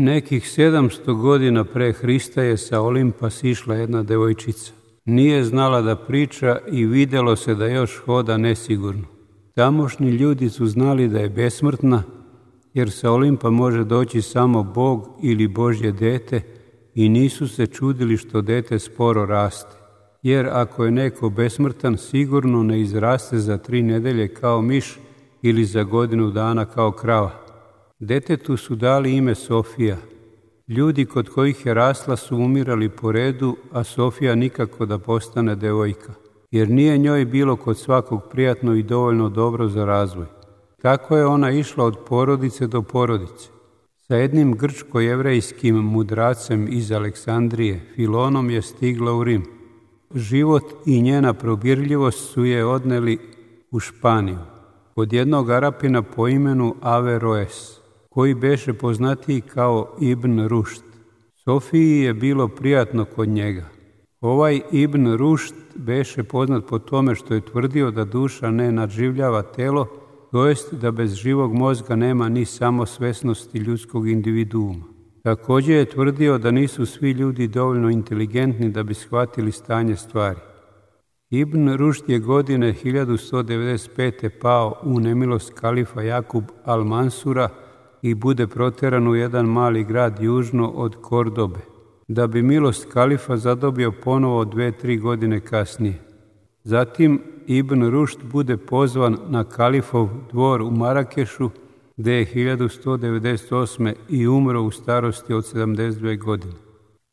Nekih 700 godina pre Hrista je sa Olimpa sišla jedna devojčica. Nije znala da priča i vidjelo se da još hoda nesigurno. Tamošnji ljudi su znali da je besmrtna, jer sa Olimpa može doći samo Bog ili Božje dete i nisu se čudili što dete sporo raste. Jer ako je neko besmrtan, sigurno ne izraste za 3 nedelje kao miš ili za godinu dana kao krava. Detetu su dali ime Sofija. Ljudi kod kojih je rasla su umirali po redu, a Sofija nikako da postane devojka, jer nije njoj bilo kod svakog prijatno i dovoljno dobro za razvoj. Tako je ona išla od porodice do porodice. Sa jednim grčko-jevrejskim mudracem iz Aleksandrije, Filonom, je stigla u Rim. Život i njena probirljivost su je odneli u Španiju, kod jednog Arapina po imenu Averroes, koji beše poznatiji kao Ibn Rušd. Sofiji je bilo prijatno kod njega. Ovaj Ibn Rušd beše poznat po tome što je tvrdio da duša ne nadživljava telo, to jest da bez živog mozga nema ni samosvesnosti ljudskog individuuma. Također je tvrdio da nisu svi ljudi dovoljno inteligentni da bi shvatili stanje stvari. Ibn Rušd je godine 1195. pao u nemilost kalifa Jakub al-Mansura i bude proteran u jedan mali grad južno od Kordobe, da bi milost kalifa zadobio ponovo 2-3 godine kasnije. Zatim Ibn Rušd bude pozvan na kalifov dvor u Marakešu, gdje je 1198. i umro u starosti od 72 godine.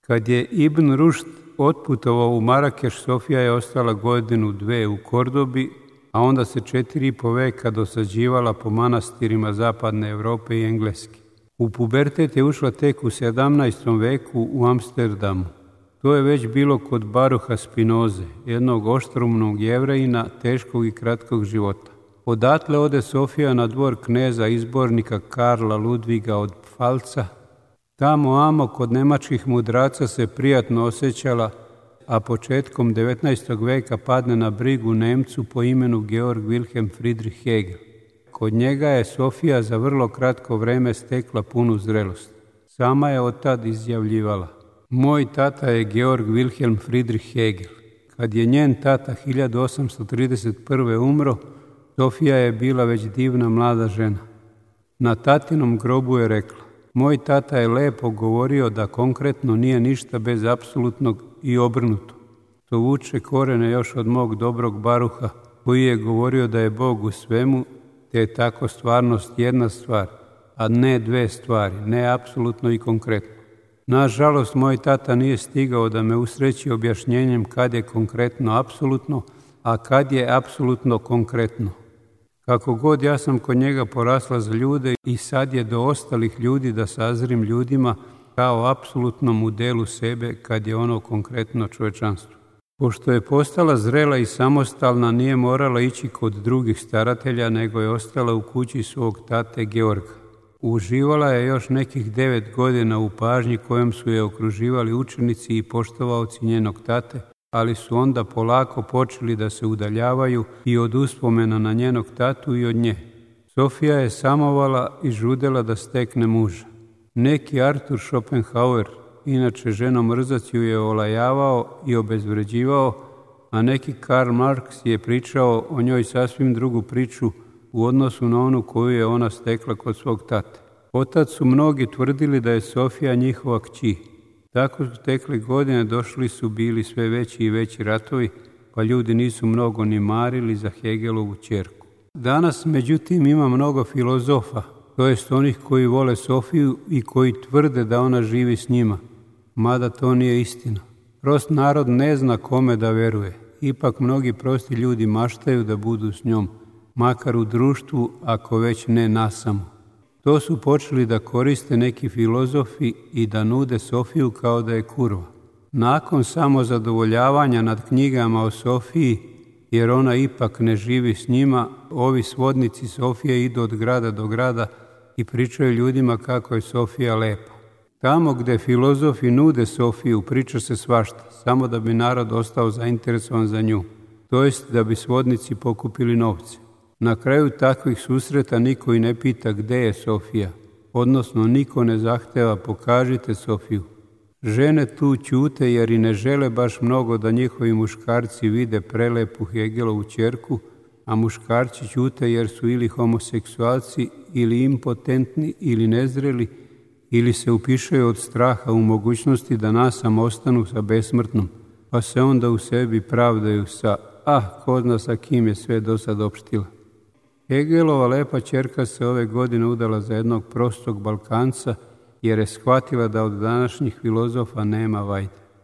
Kad je Ibn Rušd otputovao u Marakeš, Sofija je ostala 1-2 u Kordobi, a onda se 4,5 veka dosađivala po manastirima zapadne Europe i Engleske. U pubertet je ušla tek u 17. veku u Amsterdamu. To je već bilo kod Baruha Spinoze, jednog oštrumnog Jevrejina, teškog i kratkog života. Odatle ode Sofija na dvor kneza izbornika Karla Ludviga od Pfalca. Tamo kod nemačkih mudraca se prijatno osjećala, a početkom 19. veka padne na brigu Nemcu po imenu Georg Wilhelm Friedrich Hegel. Kod njega je Sofija za vrlo kratko vreme stekla punu zrelost. Sama je od tad izjavljivala: moj tata je Georg Wilhelm Friedrich Hegel. Kad je njen tata 1831. umro, Sofija je bila već divna mlada žena. Na tatinom grobu je rekla: moj tata je lepo govorio da konkretno nije ništa bez apsolutnog i obrnuto. To vuče korene još od mog dobrog Baruha, koji je govorio da je Bog u svemu, te je tako stvarnost jedna stvar, a ne 2 stvari, ne apsolutno i konkretno. Nažalost, moj tata nije stigao da me usreći objašnjenjem kad je konkretno apsolutno, a kad je apsolutno konkretno. Kako god, ja sam kod njega porasla za ljude i sad je do ostalih ljudi da sazrim ljudima kao apsolutnom u delu sebe kad je ono konkretno čovječanstvo. Pošto je postala zrela i samostalna, nije morala ići kod drugih staratelja, nego je ostala u kući svog tate Georga. Uživala je još nekih 9 godina u pažnji kojom su je okruživali učenici i poštovaoci njenog tate, ali su onda polako počeli da se udaljavaju i od uspomena na njenog tatu i od nje. Sofija je samovala i žudela da stekne muža. Neki Arthur Schopenhauer, inače ženomrzac, ju je olajavao i obezvređivao, a neki Karl Marx je pričao o njoj sasvim drugu priču u odnosu na onu koju je ona stekla kod svog tate. Otad su mnogi tvrdili da je Sofija njihova kći. Tako su tekle godine, došli su bili sve veći i veći ratovi, pa ljudi nisu mnogo ni marili za Hegelovu ćerku. Danas, međutim, ima mnogo filozofa, to jest onih koji vole Sofiju i koji tvrde da ona živi s njima, mada to nije istina. Prost narod ne zna kome da veruje, ipak mnogi prosti ljudi maštaju da budu s njom, makar u društvu, ako već ne nasamo. To su počeli da koriste neki filozofi i da nude Sofiju kao da je kurva. Nakon samozadovoljavanja nad knjigama o Sofiji, jer ona ipak ne živi s njima, ovi svodnici Sofije idu od grada do grada i pričaju ljudima kako je Sofija lepa. Tamo gdje filozofi nude Sofiju, priča se svašta, samo da bi narod ostao zainteresovan za nju, to jest da bi svodnici pokupili novce. Na kraju takvih susreta niko i ne pita gdje je Sofija. odnosno niko ne zahteva pokažite Sofiju. Žene tu ćute jer i ne žele baš mnogo da njihovi muškarci vide prelepu Hegelovu ćerku, a muškarci ćute jer su ili homoseksualci, ili impotentni, ili nezreli, ili se upišaju od straha u mogućnosti da nasam ostanu sa besmrtnom, pa se onda u sebi pravdaju sa ko zna sa kim je sve do sad opštila. Hegelova lepa ćerka se ove godine udala za jednog prostog Balkanca jer je shvatila da od današnjih filozofa nema vajde.